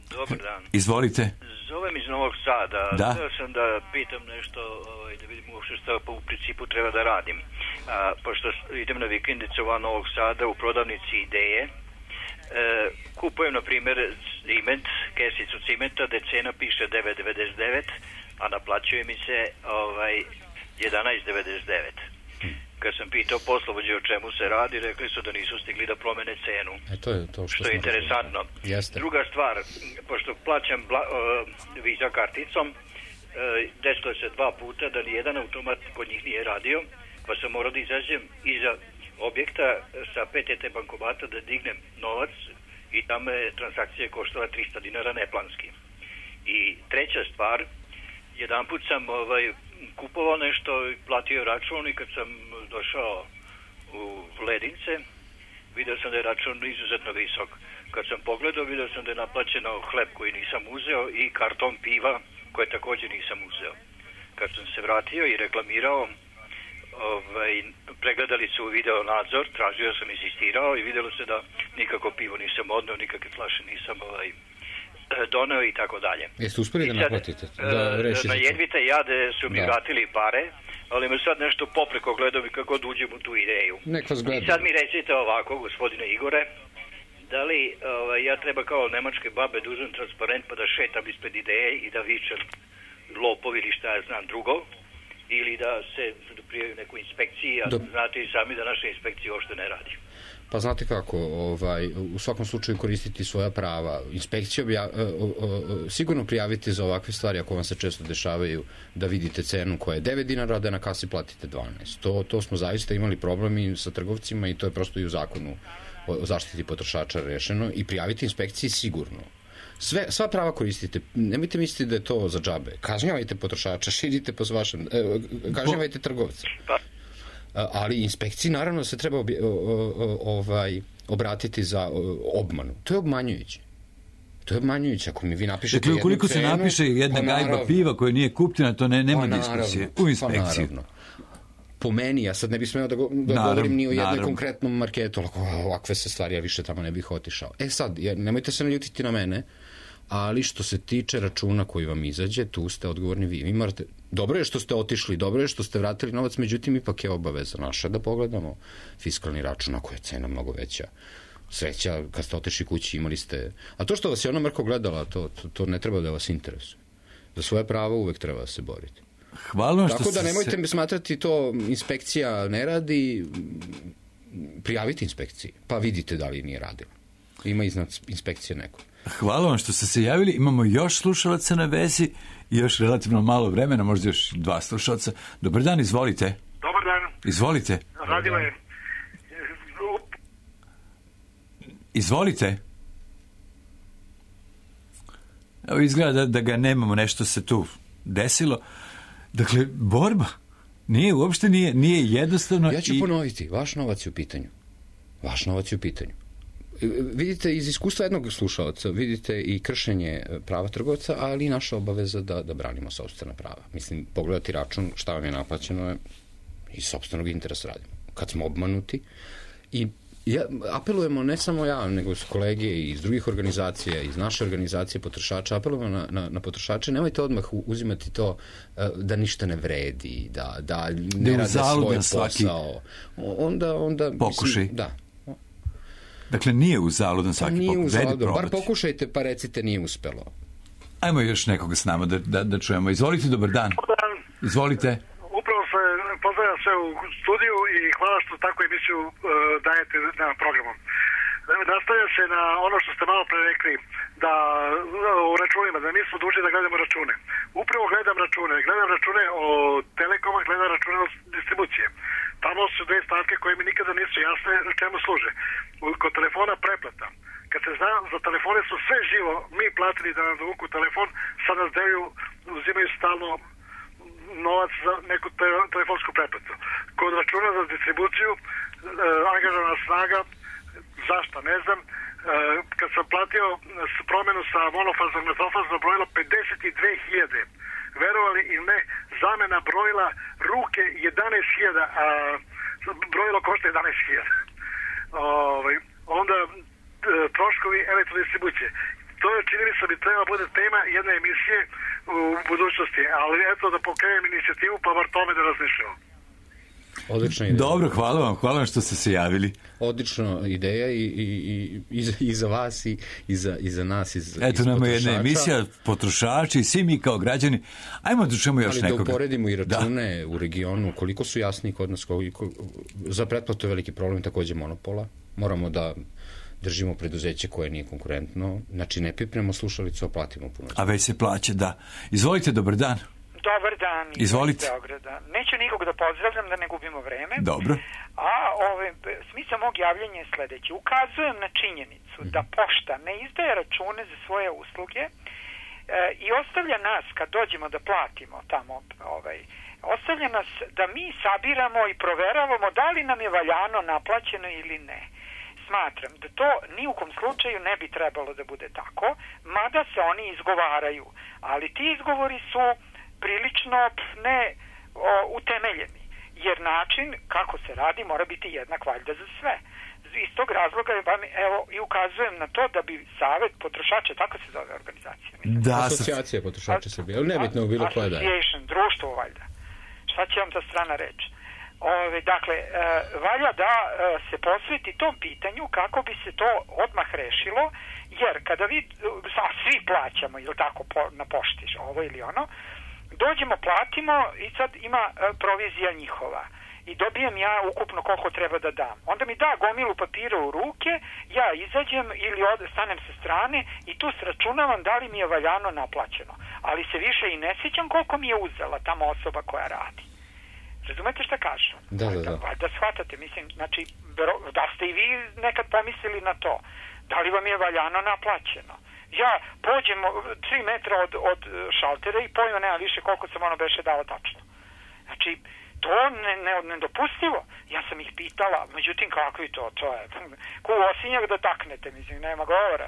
Dobar dan. Izvolite. Zovem iz Novog Sada. Da. Htio sam da pitam nešto, da vidim uopšte što u principu treba da radim. Pošto idem na vikendicu van Novog Sada u prodavnici Ideje, kupujem, na primjer, ciment, kesicu cimenta, gde cena piše 9,99, a naplaćuje mi se 11,99. Kad sam pitao poslovođe o čemu se radi, rekli su da nisu stigli da promene cenu. To je to što je interesantno. Druga stvar, pošto plaćam Visa karticom, desilo se 2 puta da nijedan automat kod njih nije radio, pa sam morao da izađem iza objekta sa PTT bankomata da dignem novac i tamo je transakcija koštala 300 dinara neplanski. I treća stvar, jedan put sam kupovao nešto, platio račun i kad sam došao u Ledince, vidio sam da je račun izuzetno visok. Kad sam pogledao, vidio sam da je naplaćeno hleb koji nisam uzeo i karton piva koje također nisam uzeo. Kad sam se vratio i reklamirao, pregledali su video nadzor, tražio sam, insistirao i vidjelo se da nikako pivo nisam odneo, nikakve flaše nisam doneo i tako dalje. Jeste uspeli da naplatite? Na jedvite jade su mi vratili pare, ali me sad nešto popreko gledao i kako da uđem u tu ideju. I sad mi recite ovako, gospodine Igore, da li ja treba kao nemačke babe da uzem transparent pa da šetam ispred Ideje i da vičem lopovi ili šta ja znam drugo, ili da se prijavim neku inspekciji, a znate i sami da naša inspekcija uopšte ne radi. Pa znate kako, u svakom slučaju koristiti svoja prava. Inspekcija sigurno prijavite za ovakve stvari ako vam se često dešavaju da vidite cenu koja je 9 dinara, a da na kasi platite 12. To smo zaista imali problemi sa trgovcima i to je prosto i u zakonu o zaštiti potrošača rešeno i prijaviti inspekciji sigurno. Sva prava koristite. Nemojte misliti da je to za džabe. Kažnjavajte potrošača, širite po vašem, kažnjavajte trgovce. Ali inspekciji naravno se treba obratiti za obmanu. To je obmanjujuće. Ako mi vi napišete jednu cenu... Dakle, ukoliko se napiše jedna gajba piva koja nije kupljena, to nema diskusije u inspekciji. Po meni, ja sad ne bih smeo da govorim ni o jednoj konkretnom marketu, ovakve se stvari, ja više tamo ne bih otišao. Sad, nemojte se naljutiti na mene, ali što se tiče računa koji vam izađe, tu ste odgovorni vi. Vi morate, dobro je što ste otišli, dobro je što ste vratili novac, međutim ipak je obaveza naša da pogledamo fiskalni račun, ako je cena mnogo veća. Sreća, kad ste otišli kući imali ste... A to što vas je ona mrko gledala, to ne treba da vas interesuje. Za svoje pravo uvek treba da se boriti. Hvala što tako da nemojte me smatrati to inspekcija ne radi, prijavite inspekciji, pa vidite da li nije radila. Ima iznad inspekcije neko. Hvala vam što ste se javili. Imamo još slušalaca na vezi i još relativno malo vremena, možda još 2 slušalca. Dobar dan, izvolite. Dobar dan. Izvolite. Radila je. Izvolite. Evo izgleda da ga nemamo, nešto se tu desilo. Dakle, borba uopšte nije jednostavno. Ja ću ponoviti, vaš novac je u pitanju. Vaš novac je u pitanju. Vidite, iz iskustva jednog slušalca, vidite i kršenje prava trgovca, ali i naša obaveza da branimo sopstvena prava. Mislim, pogledati račun, šta vam je naplaćeno je iz sopstvenog interesa radimo. Kad smo obmanuti i apelujemo, ne samo ja, nego s kolege iz drugih organizacija, iz naše organizacije potrošača, apelujemo na potrošače, nemojte odmah uzimati to da ništa ne vredi, da ne rade svoj posao. Onda pokušaj. Mislim, da. Dakle, nije uzaludan svaki pokušaj. Nije uzaludan, bar pokušajte pa recite nije uspelo. Ajmo još nekoga s nama da čujemo. Izvolite, dobar dan. Izvolite. Upravo se pozdravljam sve u studiju i hvala što takvu emisiju dajete na programu. Nastavlja se na ono što ste malo pre rekli, da u računima, da nismo dužni da gledamo račune. Upravo gledam račune od Telekoma, gledam račune od distribucije. Tamo su 2 stavke koje mi nikada nisu jasne čemu služe. Kod telefona preplata. Kad se zna, za telefone su sve živo, mi platili da nam dovuku telefon, sad nas delju, uzimaju stalno novac za neku telefonsku pretplatu. Kod računa za distribuciju, angažovana snaga, zašto ne znam, kad sam platio promenu sa monofaznog na dvofazno brojilo 52.000, verovali ili ne, zamena brojila ruke 11.000, a brojilo košta 11.000. Onda troškovi elektrodistribucije. To je, čini mi se, bi treba bude tema jedne emisije u budućnosti, ali eto da pokrenem inicijativu pa bar tome da razmišljamo. Odlična ideja. Dobro, hvala vam što ste se javili. Odlična ideja i za vas i za nas. Eto nam je jedna emisija, potrošači i svi mi kao građani. Ajmo da čujemo još nekoga. Ali da uporedimo i račune u regionu, koliko su jasni kod nas, za pretplatu je veliki problem takođe monopola. Moramo da držimo preduzeće koje nije konkurentno, znači ne pipnemo slušalicu, a platimo puno. A već se plaće, da. Izvolite, dobar dan. Dobar dan. Izvolite. Neću nikog da pozdravljam da ne gubimo vreme. Dobro. A smisao mog javljanja je sledeći. Ukazujem na činjenicu da pošta ne izdaje račune za svoje usluge i ostavlja nas, kad dođemo da platimo tamo, ostavlja nas da mi sabiramo i proveravamo da li nam je valjano naplaćeno ili ne. Smatram da to ni u kom slučaju ne bi trebalo da bude tako, mada se oni izgovaraju. Ali ti izgovori su prilično ne utemeljeni, jer način kako se radi mora biti jednak valjda za sve. Iz tog razloga evo i ukazujem na to da bi Savet potrošača, tako se zove organizacija. Da, Asocijacija potrošača Srbije, ali nebitno bilo koja da je. Association, društvo valjda. Šta će vam ta strana reći? Dakle, valja da se posveti tom pitanju kako bi se to odmah rešilo, jer kada svi plaćamo, ili tako, na pošti, ovo ili ono, dođemo, platimo i sad ima provizija njihova i dobijem ja ukupno koliko treba da dam. Onda mi da gomilu papira u ruke, ja izađem ili stanem sa strane i tu sračunavam da li mi je valjano naplaćeno. Ali se više i ne sjećam koliko mi je uzela tamo osoba koja radi. Razumete šta kažem? Da. Da shvatate, mislim, znači, da ste i vi nekad pomislili na to. Da li vam je valjano naplaćeno? Ja pođem 3 metra od šaltera i pojma nema više koliko sam ono beše dao tačno. Znači, to nedopustivo. Ja sam ih pitala, međutim kakvi to je ko osinjak da taknete, mislim, nema govora,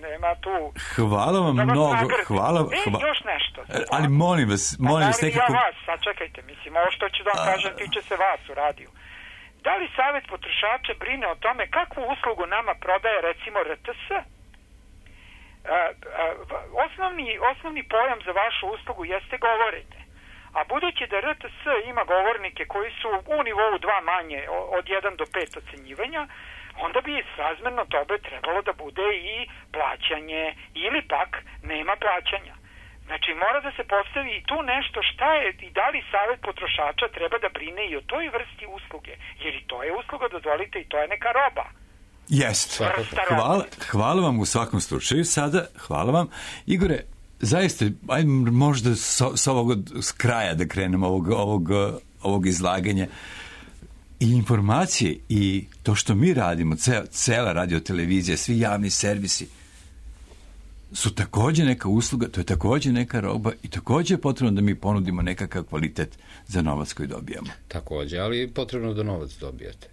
nema tu. Hvala vam mnogo, hvala. Još nešto. Ali molim vas nekako. Ja vas, sad čekajte, mislim, ovo što ću da vam kažem tiče se vas u radiju. Da li Savet potrošača brine o tome kakvu uslugu nama prodaje recimo RTS? Osnovni pojam za vašu uslugu jeste govorenje. A budući da RTS ima govornike koji su u nivou 2 manje od 1 do 5 ocenjivanja, onda bi srazmerno tobe trebalo da bude i plaćanje ili pak nema plaćanja. Znači, mora da se postavi i tu nešto šta je i da li savjet potrošača treba da brine i o toj vrsti usluge. Jer i to je usluga, dozvolite, i to je neka roba. Jeste. Hvala vam u svakom slučaju. Sada, hvala vam. Igore, zaista, ajde možda s ovog kraja da krenemo ovog izlaganja. I informacije i to što mi radimo, cela radiotelevizija, svi javni servisi, su također neka usluga, to je također neka roba i također je potrebno da mi ponudimo nekakav kvalitet za novac koji dobijamo. Također, ali je potrebno da novac dobijete.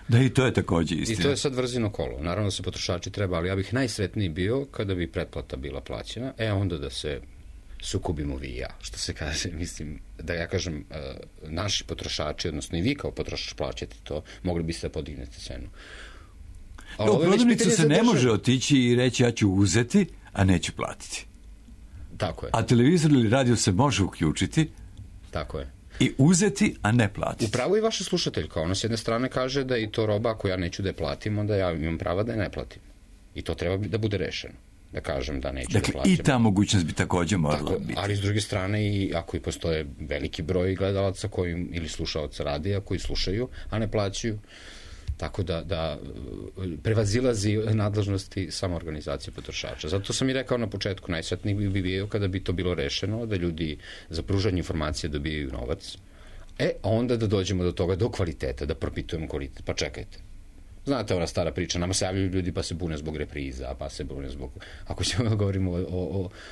Da, i to je također istina. I to je sad vrzino kolo. Naravno da se potrošači treba, ali ja bih najsretniji bio kada bi pretplata bila plaćena, onda da se sukobimo vi i ja, što se kaže, mislim, da ja kažem, naši potrošači, odnosno i vi kao potrošač plaćate to, mogli biste da podignete cenu. U prodavnicu se ne može otići i reći ja ću uzeti, a neću platiti. Tako je. A televizor ili radio se može uključiti. Tako je. I uzeti, a ne platiti. Upravo i vaša slušateljka, ona s jedne strane kaže da i to roba, ako ja neću da je platim, onda ja imam prava da je ne platim. I to treba da bude rešeno. Da kažem da neću da plaćam. I ta mogućnost bi također morala biti. Ali s druge strane, i ako i postoje veliki broj gledalaca ili slušalaca radija koji slušaju, a ne plaćaju, tako da prevazilazi nadležnosti samo organizacije potrošača. Zato sam i rekao na početku, najsretniji bi bio kada bi to bilo rešeno, da ljudi za pružanje informacije dobijaju novac, a onda da dođemo do toga, do kvaliteta, da propitujemo kvalitet. Pa čekajte. Znate, ona stara priča, nama se javljaju ljudi pa se bune zbog repriza, pa se bune zbog... Ako ćemo da govorimo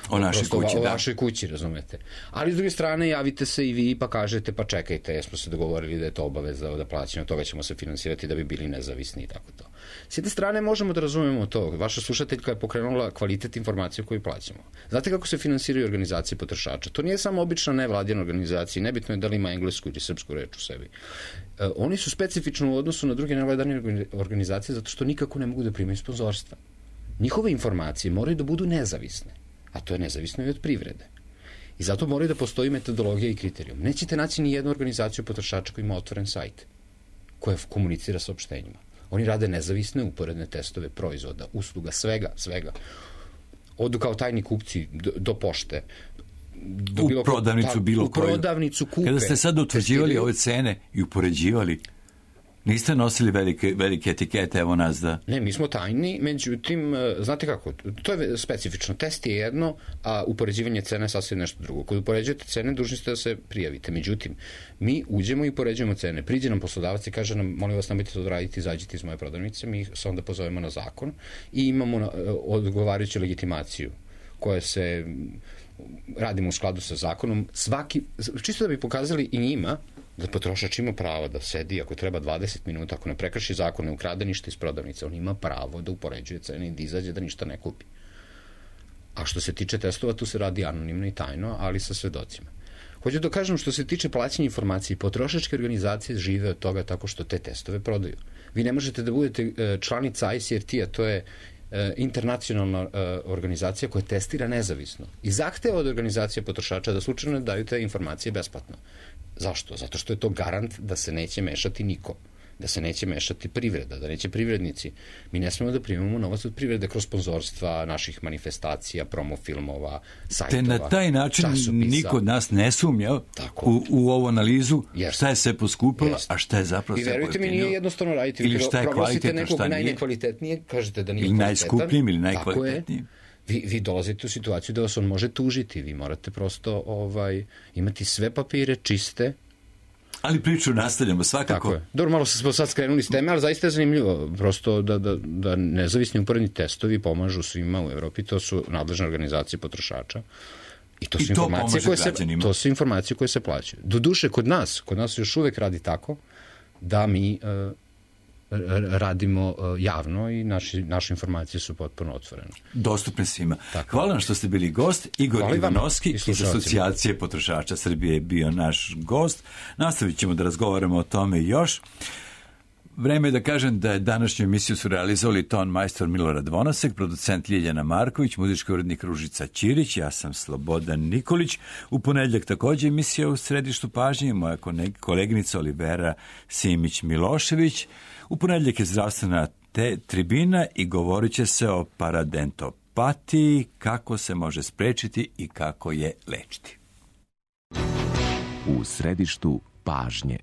o našoj kući, o vašoj kući, razumete. Ali s druge strane, javite se i vi pa kažete, pa čekajte, jesmo se dogovorili da je to obaveza da plaćamo, toga ćemo se finansirati da bi bili nezavisni i tako to. S jedne strane možemo da razumemo to. Vaša slušateljka je pokrenula kvalitet informacije koju plaćamo. Znate kako se finansiraju organizacije potrošača? To nije samo obična nevladina organizacija, nebitno je da li ima englesku ili srpsku reč u sebi. Oni su specifično u odnosu na druge nevladine organizacije zato što nikako ne mogu da primaju sponzorstva. Njihove informacije moraju da budu nezavisne, a to je nezavisno i od privrede. I zato moraju da postoji metodologija i kriterijum. Nećete naći ni jednu organizaciju potrošača koja ima otvoren sajt, koja komunicira sa opštenjima. Oni rade nezavisne uporedne testove proizvoda, usluga, svega. Odu kao tajni kupci do pošte, u prodavnicu bilo koju. U prodavnicu kupe. Kada ste sad utvrđivali ove cene i upoređivali, niste nosili velike etikete, evo nas da... Ne, mi smo tajni, međutim, znate kako, to je specifično. Test je jedno, a upoređivanje cene je sasvim nešto drugo. Kad upoređujete cene, dužni ste da se prijavite. Međutim, mi uđemo i upoređujemo cene. Priđe nam poslodavac i kaže nam, molim vas, nemojte to raditi, izađite iz moje prodavnice, mi se onda pozovemo na zakon i imamo odgovarajuću legitimaciju koja se... radimo u skladu sa zakonom, čisto da bi pokazali i njima da potrošač ima pravo da sedi ako treba 20 minuta, ako ne prekrši zakon, ne ukrade ništa iz prodavnice, on ima pravo da upoređuje cene i da izađe da ništa ne kupi. A što se tiče testova, tu se radi anonimno i tajno, ali sa svedocima. Hoću da kažem, što se tiče plaćanja informacije, potrošačke organizacije žive od toga tako što te testove prodaju. Vi ne možete da budete članica ICRT-a, to je internacionalna organizacija koja testira nezavisno i zahteva od organizacije potrošača da slučajno daju te informacije besplatno. Zašto? Zato što je to garant da se neće mešati niko, da se neće mešati privreda, da neće privrednici. Mi ne smemo da primamo novac od privrede kroz sponzorstva naših manifestacija, promofilmova, sajtova, časopisa. Te na taj način niko od nas ne sumnja u ovu analizu šta je sve poskupilo, a šta je zapravo sve pojeftinilo. I verujte mi, nije jednostavno raditi. Ili šta je kvalitetno, šta nije. Najnekvalitetnije, kažete da nije ili najskupljim ili najkvalitetnijim. Vi dolazite u situaciju da vas on može tužiti. Vi morate prosto imati sve papire čiste. Ali priču nastavljamo svakako. Tako je. Dobro, malo smo sad skrenuli s teme, ali zaista je zanimljivo. Prosto da nezavisni uporedni testovi pomažu svima u Evropi. To su nadležne organizacije potrošača. I to su informacije koje se plaćaju. Doduše, kod nas još uvek radi tako da mi radimo javno i naše informacije su potpuno otvorene. Dostupne svima. Hvala vam što ste bili gost. Igor Ivanovski iz Asocijacije potrošača Srbije je bio naš gost. Nastavit ćemo da razgovaramo o tome još. Vreme je da kažem da je današnju emisiju su realizovali ton majstor Milorad Vonasek, producent Ljiljana Marković, muzički urednik Ružica Ćirić, ja sam Slobodan Nikolić. U ponedjeljak također emisija u središtu pažnje, moja koleginica Olivera Simić-Milošević. U ponedjeljak je zdravstvena tribina i govorit će se o apatiji, kako se može sprečiti i kako je lečiti. U središtu pažnje.